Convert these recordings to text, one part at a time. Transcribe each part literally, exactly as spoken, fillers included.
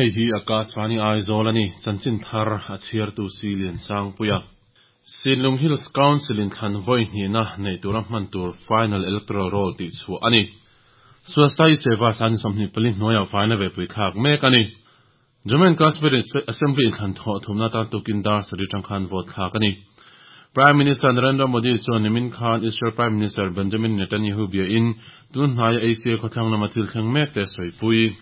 Hei hi Akashvani Aizawl ani chanchin thar a chhiartu si lian sang puia. Sinlung Hills Council in thlan voi hni na nei tura hman tur final electoral roll ti chu ani. Swasthai Seva san somni pali hnuaia faina ve pui thlak mek ani. Jammu and Kashmir Assembly in thlan thaw thumna ta tukin dar sari tangkhan vote thlak ani. Prime Minister Narendra Modi chuan nimin khan Israel Prime Minister Benjamin Netanyahu bia in tun hnaia Asia khawthlang lama thil thleng mek te sawi pui.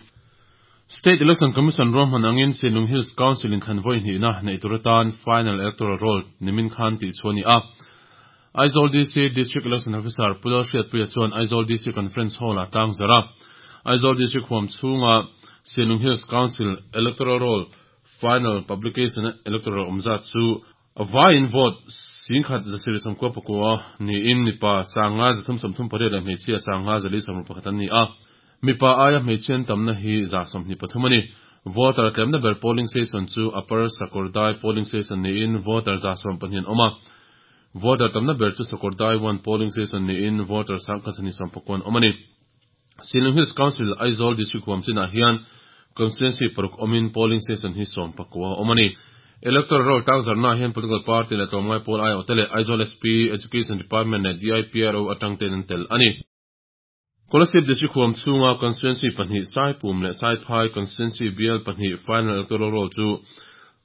State Election Commission rom hanangin Sinlung Hills Council in thlan voi hni na nei turatan final electoral roll nimin khan ti chuani a. Aizawl D C District Election Officer Pulal Hriat Puia chuan Aizawl D C Conference Hall a tang zara. Aizawl District huam chhunga Sinlung Hills Council Electoral Roll Final Publication Electoral umza chu vai in vote singkhat zasiri samkwa pakua ni in mipa sanga zathum samthum pariat leh hmeichhia sanga zali samru pakhat an ni a. Mipa aia hmeichhian tamna hi za sawmhnih pathum ani. Voter tlemna ber polling station chu Upper Sakawrdai polling station ni in voter za sawm pahnih an awm a. Voter tamna ber chu Sakawrdai one polling station ni in voter sangkhat sani sawm pakuan awm ani. Sinlung Hills Council Aizawl District huam chinah hian constituency paruk awmin polling station hi sawm pakua awm ani. Electoral roll tang zarna hian political party le tlawmngai pawl ai awte leh Aizawl S P Education Department leh D I P R O atang ten an tel ani. Kolasib District huam chhunga constituency pahnih Saipum leh Saiphai constituency B L pahnih final electoral roll chu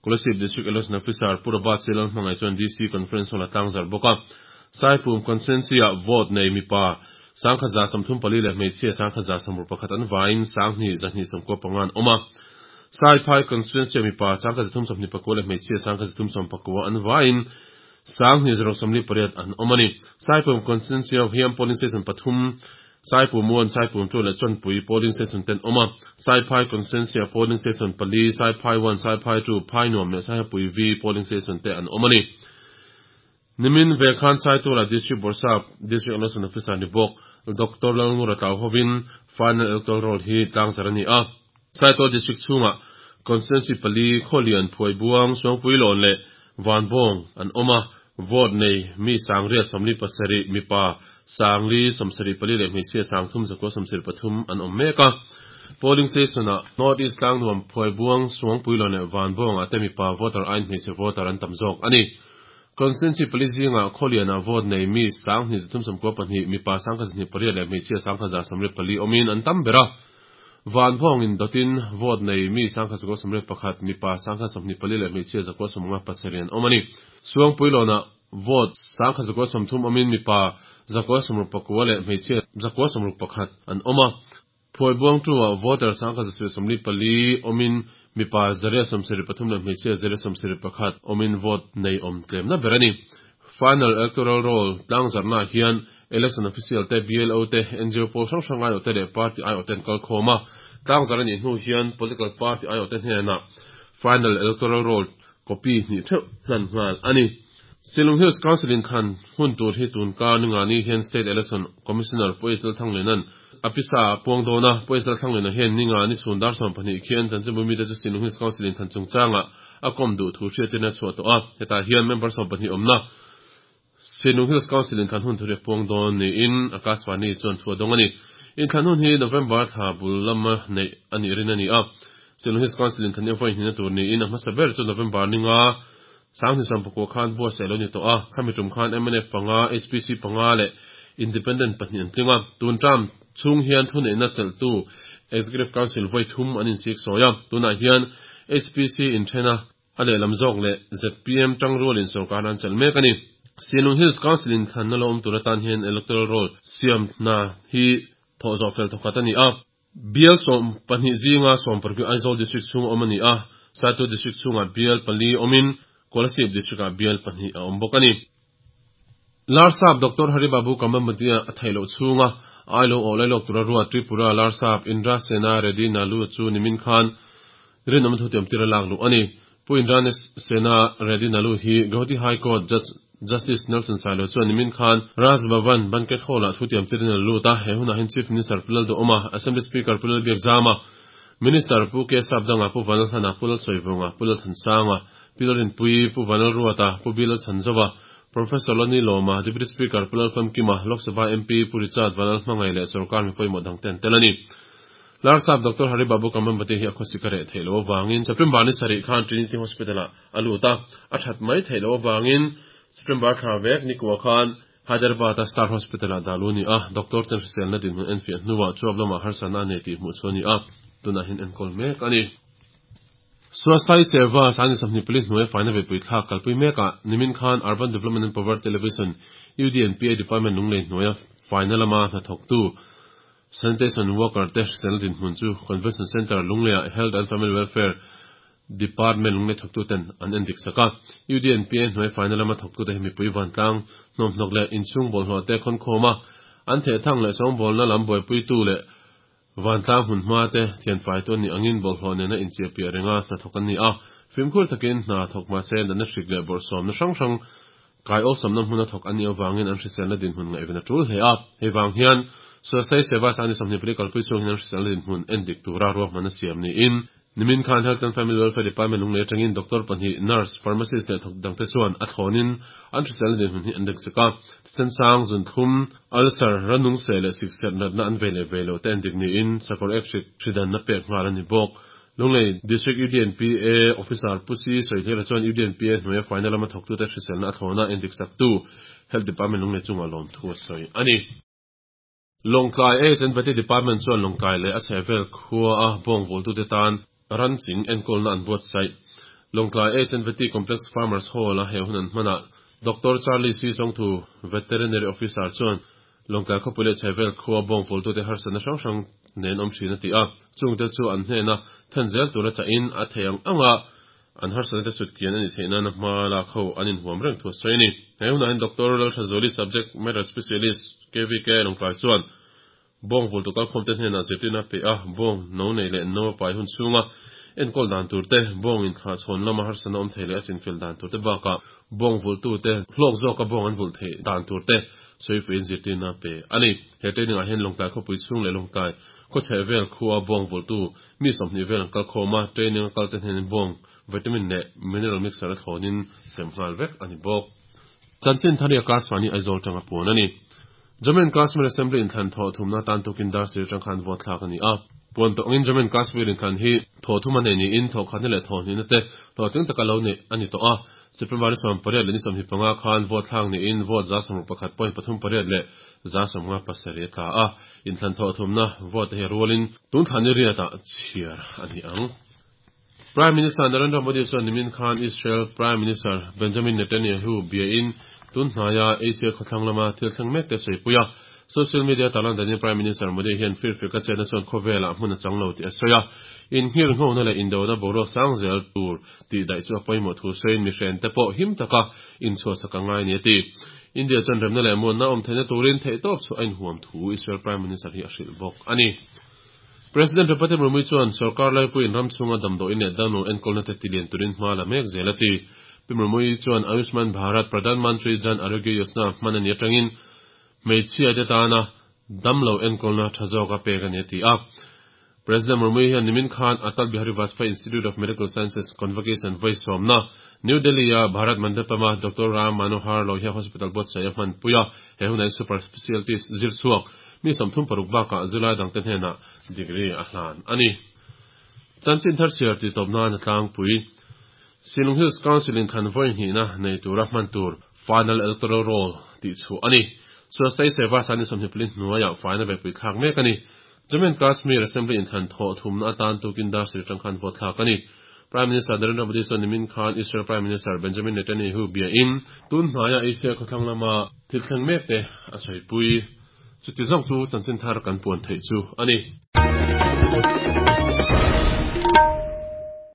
Kolasib District Election Officer Purabat Silal hmangai chuan D C Conference Hall a tlang zar bawk a. Saipum constituency ah vote nei mipa sangkhat za sawmthum pali leh hmeichhia sangkhat za sawmruk pakhat an vaiin sanghnih zahnih sawmkua panga an awm a. Saiphai constituency mipa sangkhat zathum sawmhnih pakua leh hmeichhia sangkhat zathum sawm pakua an vaiin sanghnih zaruk sawmli pariat an awm ani. Saipum constituency ah hian polling station pathum Saipum one, Saipum two leh Chawnpui polling station ten awm a. Saiphai constituency ah polling station pali, Saiphai one, Saiphai two, Phai nuam leh Saihapui V polling station te an awm ani. Nimin ve khan Saitula District Borsap District Election Officer ni bawk Doctor Lalngura Tlau hovin final electoral roll hi tlang zar ani a. Saitual District chhunga constituency pali Khawlian Phuai Buang Suangpui Lawn leh Vanbawng an awm a. Vote nei mi sangriat sawmli pasarih mipa sangli sawmsarih pali leh hmeichhia sangthum zakua sawmsarih pathum an awm mek a. Polling station ah North East Tlangnuam Phuai Buang Suangpui Lawn leh Vanbawng ah te mipa voter aiin hmeichhe voter an tam zawk ani. Constituency pali zinga Khawlian ah vote nei mi sanghnih zathum sawmkua pahnih mipa sangkhat zahnih pariat leh hmeichhia sangkhat za sawmriat pali awmin an tam ber a. Vanbawng in dotin vote nei mi sangkhat zakua sawmriat pakhat mipa sangkhat sawmhnih pali leh hmeichhia zakua sawmnga pasarih an awm ani. Suangpui Lawn ah vote sangkhat zakua sawmthum awmin mipa zakua sawmruk pakua leh hmeichhia zakua sawmruk pakhat an awm a. Phuai Buang two ah voter sangkhat zasarih sawmli pali awmin mipa zaria sawmsarih pathum leh hmeichhia zaria sawmsarih pakhat awmin vote nei awm tlemna ber ani. Final electoral roll tlang zarna hian election official te B L O te N G O pawl hrang hrang ai awte leh party ai awte an kal khawm a. Tlang zar ani hnu hian political party ai awte hnenah final electoral roll copy hnih theuh hlan nghal ani. Sinlung Hills Council in thlan hun tur hi tun ka ninga ni hian State Election Commissioner Puaisal Thanglenan apisa puang dona Puaisal Thanglena hian ninga ni chhun dar sawm pahnih khian chanchinbu mi te chu Sinlung Hills Council in thlan chungchanga a kom duh thu hriatin a chhuah tawh a. Hetah hian member sawm pahnih awmna Sinlung Hills Council in thlan hun thu riak puang dawn ni in Akashvani chuan thu a dawng ani. In thlan hun hi November thla bul lama nei ani rin ani a. Sinlung Hills Council in thlan hi voi hnina tur ni in a hmasa ber chu November ninga sanghnih sawm pakua khan buatsaih lo ni tawh a. Khami tum khan M N F panga, H P C panga leh Independent pahnih an tling a. Tun tram chhung hian thu neihna chelhtu Executive Council voi thum an insik sawi a. Tunah hian H P C in thena a lehlam zawk leh Z P M tangrual in sorkar an chelh mek ani. Sinlung Hills Council in thlan na lo awm tur atan hian electoral roll siam hna hi thawh zawh fel thawkhat ani a. Bial sawm pahnih zinga sawm paruk Aizawl District chhung awm ani a. Saitual District chhungah bial pali awmin Kolasib District ah bial pahnih a awm bawk ani. Larsap Doctor Haribabu Kambhampati a theihloh chhunga ailo aw lailawk tura ruat Tripura Larsap Indra Sena Reddy Nalu chu nimin khan rinawm thu tiam tira lak luh ani. Pu Indra Sena Reddy Nalu hi Guwahati High Court Judge Justice Nelson Sailo chuan nimin khan Raj Bhavan Banquet Hall ah thu tiam tirin a lut a. He hunah hian Chief Minister Pulal Duhawma, Assembly Speaker Pulal Biakzama, Minister Pu K Sapdanga, Pu Vanal Thana, Pulal Soivunga, Pulal Thansanga, Pilarin Pui, Pu Vanal Ruata, Pu Bilal Chanzova, Professor Lani Loma, Deputy Speaker Pulal Famkima, Lok Sabha M P Pu Richard Vanal Hmangai leh Sarkar mi pawimawh dang ten tel ani. Larsap Doctor Haribabu Kambhampati hi a khawsik a reh theih loh avangin September ni sarih khan Trinity Hospital-ah a lut a, a that mai theih loh avangin September thla vek ni kuah khan Hyderabad-a Star Hospital-ah dah lu a ni a, doctor ten hriselna dinhmun enfiah hnuah chuap lamah harsatna a nei tih hmuh chu a ni a, tunah hian enkawl mek a ni. Swasthya Seva Sangni Sawmhnih Pali hnuai faina vepui thlak kalpui mekah nimin khan Urban Development and Poverty Alleviation U D and P A Department lunglei hnuaia faina lama hnathawktu Sanitation Worker te hriselna dinhmun chu Convention Centre lungleiah Health and Family Welfare Department lunglei thawktuten an endik sak a. U D and P A hnuai faina lama thawktute hi mipui vantlang hnawmhnawk leh inchhung bawlhhlawh te khawnkhawm a, an thehthang leh sawngbawlna lam buaipuitu leh vantlang hmun hma te thianfai tu an nih angin bawlhhlawh nena inchiahpiah renga hnathawk an ni a. Fimkhur takin hna thawk mahse natna hrik leh bawrhsawmna hrang hrang kai awlsamna hmuna thawk an nih avangin an hriselna dinhmun ngaihven a tul hle a. Hei vang hian Swasthya Seva Sangni Sawmhnih Pali kalpui chhung hian an hriselna dinhmun endik tura ruahman a siam niin nimin khan Health and Family Welfare Department lunglei atangin doctor pahnih, nurse, pharmacist leh thawk dangte chuan a thlawnin an hriselna dinhmun hi an rek chek a. Thisen-sang, zunthum, ulcer, ranung seh leh sikserh natna an vei leh vei loh te endik niin sakawr ek hrik hridanna pek nghal a ni bawk. Lunglei District U D and P A Officer Pu Si Sawihlera chuan U D and P A hnuaia faina lama thawktute hriselna a thlawna endik saktu Health Department lunglei chungah lawmthu a sawi a ni. Lawngtlai Aids and Vety Department chuan Lawngtlai leh a chhehvel khua a bawng vawltute tan ran ching enkawlna an buatsaih. Lawngtlai Aids and Vety Complex Farmers Hall a he hun an hmanah Doctor Charlie C. Chawngthu, Veterinary Officer chuan Lawngtlai khawpui leh chhehvel khua bawng vawltute harsatna hrang hrang nen awm thin a ti a, chungte chu an hnena then zel tura chahin a thei ang ang a, an harsatna te sut kian a ni theih nana hma lak ho an inhuam reng thu a sawi a ni. He hunah hian Doctor Lalthazuli Subject Matter Specialist K V K Lawngtlai chuan bawng vultu kalkhawm te hnenah zirtirna pe a, bawng no nei leh no a pai hun chhunga enkawl dan tur te, bawng inthlah chhawn lama harsatna awm thei leh a chinfel dan tur te bakah bawng vultu te hlawk zawka bawng an vulh theih dan tur te sawifuiin zirtirna pe a ni. He training ah hian Lawngtlai khawpui chhung leh Lawngtlai khawchheh vel khua bawng vultu mi sawmhnih vel an kal khawm a, training a kal te hnenin bawng vitamin leh mineral mixer a thlawnin sem nghal vek a ni bawk. Chanchin Thari Akashvani Aizawl tanga puan a ni. Jammu and Kashmir Assembly inthlan thaw thumna tan tukin dar sir tang khan vote thlak a ni a. Puan tawh angin Jammu and Kashmir inthlan hi thaw thum a nei niin thaw khatna leh thaw hnihna te hlawhtling taka lo neih a ni tawh a. September ni sawm pariat leh ni sawmhnih panga khan vote thlak niin vote za sawmruk pakhat point pathum pariat leh za sawmnga pasarih a tla a. Inthlan thaw thumna vote hi a rualin tun thlan ni riatah chhiar a ni ang. Prime Minister Narendra Modi chuan nimin khan Israel Prime Minister Benjamin Netanyahu biain tun hnaia Asia khawthlang lama thil thleng mek te sawi a. Social media tarlan danin Prime Minister Modi hian firfir ka chetna chuan khawvelah hmun a chang lo tih a sawi a. Inhir nghawna leh indona boruak sang zel tur tih daih chu a pawimawh thu sawiin mihren te pawh him taka inchhuahsak a ngai ni a ti. India chuan remna leh muanna awm theihna turin theihtawp chu a inhuam thu Israel Prime Minister hi a hrilh bawk a ni. President Draupadi Murmu chuan sarkar laipuiin ram chhunga damdawiin leh damlo enkawlna te tilian turin hma la mek zel a ti. Pi Murmu chuan Ayushman Bharat Pradhan Mantri Jan Arogya Yojana hman a ni atangin hmeichhia te tana damlo enkawlna tha zawk a pek a ni a ti a. President Murmu hian nimin khan Atal Bihari Vajpayee Institute of Medical Sciences Convocation vawi sawmna New Delhi a Bharat Mandapam a Doctor Ram Manohar Lohia Hospital buatsaih a hman pui a, he hunah hian super specialties zir chhuak mi sawmthum paruk bakah zilai dangte hnenah degree a hlan a ni. Chanchin thar chhiar tih tawp nan a tlangpui. Shillong Hills Council in thlan vawi hnihna nei tura hman tur Final Electoral Roll tih chhuah a ni. Swasthya Seva Sangni Sawmhnih Pali hnuaiah faina vepui thlak mek a ni. Jammu and Kashmir Assembly in thlan thaw thumna atan tukin dar sir tang khan vote thlak a ni. Prime Minister Narendra Modi chuan nimin khan Israel Prime Minister Benjamin Netanyahu biain tun hnaia Asia khawthlang lama thil thleng mek te a sawi pui. Chuti zawng chu chanchin thar kan puan theih chu a ni.